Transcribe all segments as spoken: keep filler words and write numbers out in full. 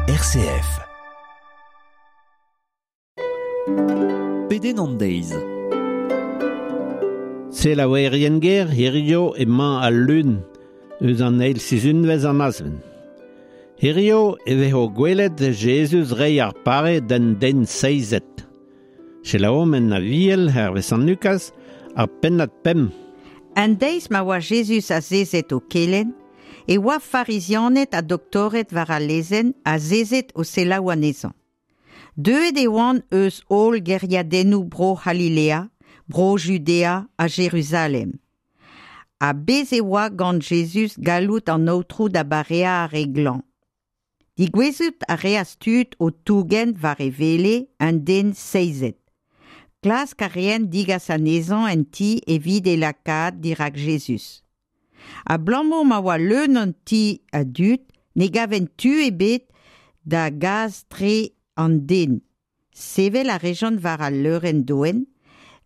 R C F. Pedenn an deiz. Selaouerien ger, hirio emañ al lun eus an eil sizhunvezh an azven. Hirio e vezo gwelet Jezuz reiñ ar pare d'an den seizet. Selaouomp en aviel hervez Sant Lukaz ar pennad pemp. An deiz ma oa Jezuz azezet o kelenn, e oa farizianed ha doktored war al lezenn azezet o selaou anezhañ. Deuet e oant eus holl gêriadennoù bro C'halilea, bro Judea ha Jeruzalem. Ha bez e oa gant Jezuz galloud an Aotrou da bareañ ar re glañv. Digouezout a reas tud o tougen war e wele un den seizet. Klask a reent digas anezhañ en ti evit e lakaat dirak Jezuz. Abalamour ma oa leun an ti a dud, ne gavent tu ebet da gas tre an den. Sevel a rejont war al leurenn doen,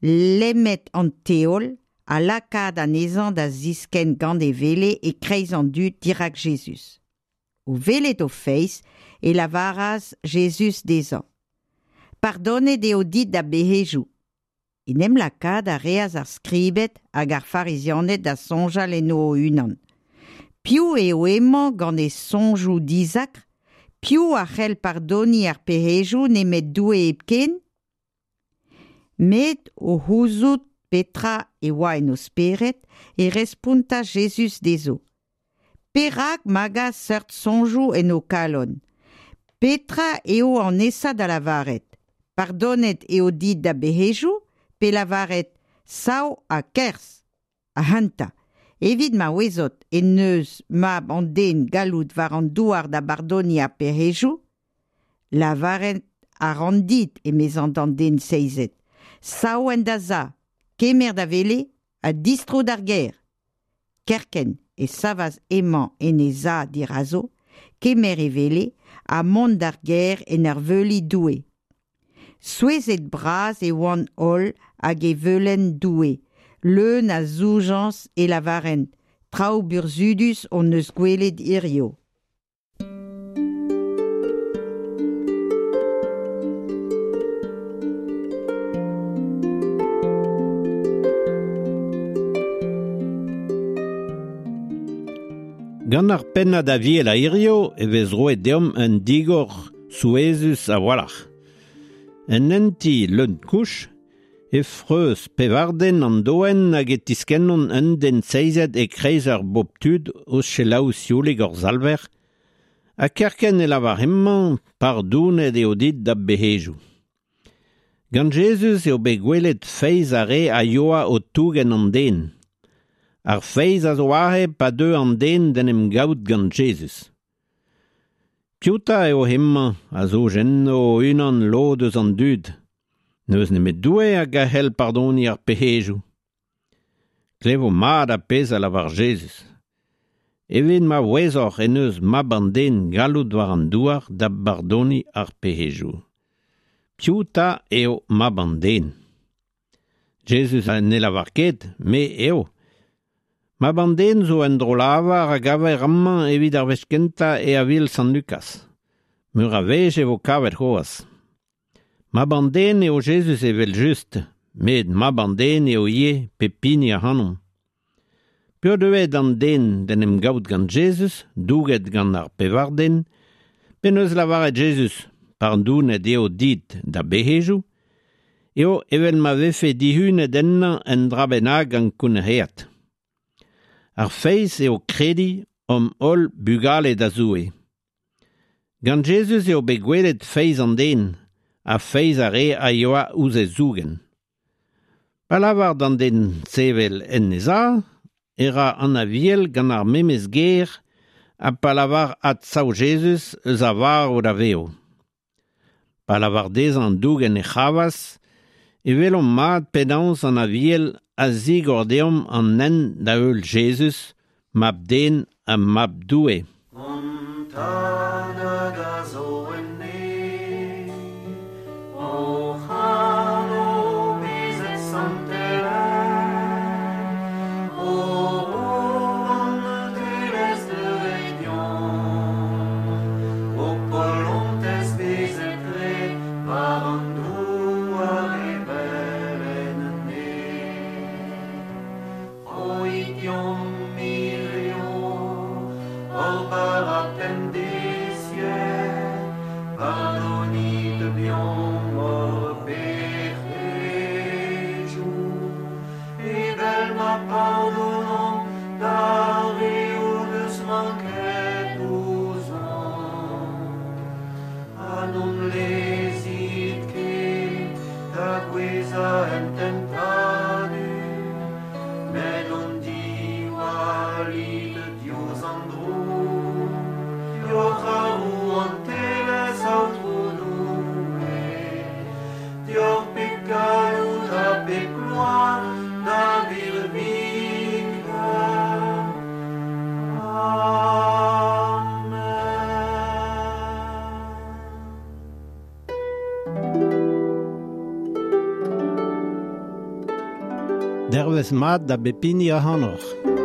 lemmet an teol ha lakaat anezhañ da ziskenn gant e wele e-kreiz an dud dirak Jezuz. O welet o feiz e lavaras Jezuz dezhañ. Pardonet eo dit da bec'hedoù. En em lakaat a reas ar skribed hag ar farizianed da soñjal en o unan. Piv eo emañ gant e soñjoù dizakr? Piv a c'hell pardoniñ ar pec'hedoù nemet Doue hepken? Met o c'houzout petra e oa en o spered e respontas Jezuz dezho. Perak magañ seurt soñjoù en ho kalon? Petra eo an aesañ da lavaret? Pardonet eo dit da bec'hedoù? Pe lavaret sav ha kerzh ac'hanta, evit ma ouezot en deus mab an den galloud war an douar da bardoniñ ar pec'hedoù, lavaret a ran dit, emezañ d'an den seizet, sav en da za, kemer da wele ha distro d'ar gêr. Kerkent e savas emañ en e za dirazo, kemer e wele ha mont d'ar gêr en ur veuliñ Doue. Souezhet bras e oant holl hag e veulent Doue, leun a zoujañs e lavarent, traoù burzhudus hon eus gwelet hirio. Gant ar pennad aviel a hirio e vez roet deomp un digor souezhus a-walc'h. En enti leun kouch, e freuz pevarden an doen hag e tiskennont un den seizet e kreiz ar bobl tud o selaou sioulig hor zalver, ha kerkent e lavar hemañ pardounet eo dit da bec'hedoù. Gant Jezuz eo bet gwelet feiz ar re a yoa o tougen an den. Ar feiz a zo aze pa deu an den d'en em gaout gant Jezuz. Piv 'ta eo hemañ a zo enno unan lod eus an dud. N'eus nemet Doue hag a c'hell pardoniñ ar pec'hedoù. Klevo mat ar pezh a lavar Jezuz. Evit ma ouezoc'h en deus mab an den galloud war an douar da bardoniñ ar pec'hedoù. Piv 'ta eo mab an den? Jezuz ne lavar ket, me eo. Mab an den zo un dro-lavar a gaver amañ evit ar wech kentañ e aviel Sant Lukaz. Meur a wech e vo kavet c'hoazh. Mab an den eo Jezuz evel-just, met mab an den eo ivez pep hini ac'hanomp. Peogwir an den d'en em gaout gant Jezuz, douget gant ar pevar den, penaos lavaret Jezuz, pardonet eo dit da bec'hedoù, eo evel ma vefe dihunet ennañ un dra bennak ankounac'haet. Ar feiz eo krediñ omp holl bugale da Zoue. Gant Jezuz eo bet gwelet feiz an den, ha feiz ar re a yoa ouzh e zougen. Pa lavar d'an den sevel en e za, e ra an aviel gant ar memes ger ha pa lavar adsav Jezuz eus a varv da vev. Pa lavar dezhañ dougen e c'hravaz, e welomp mat penaos an aviel a zigor deomp an hent da heul Jezuz, mab den ha mab Doue. An tad hag a zo en neñv, hoc'h anv bezet santelaet, ho rouantelezh deuet deomp, ho bara pemdeziek, pardonit deomp hor pec'hejoù, evel ma pardonomp d'ar re o deus manket ouzhomp. Ha n'hon lezit ket da gouezhañ en tentadur, met hon diwallit diouzh an droug, deoc'h ar rouantelezh, Aotrou Doue, deoc'h pep galloud ha pep gloar da virviken. Amen. Dervez mat da bep hini ac'hanoc'h.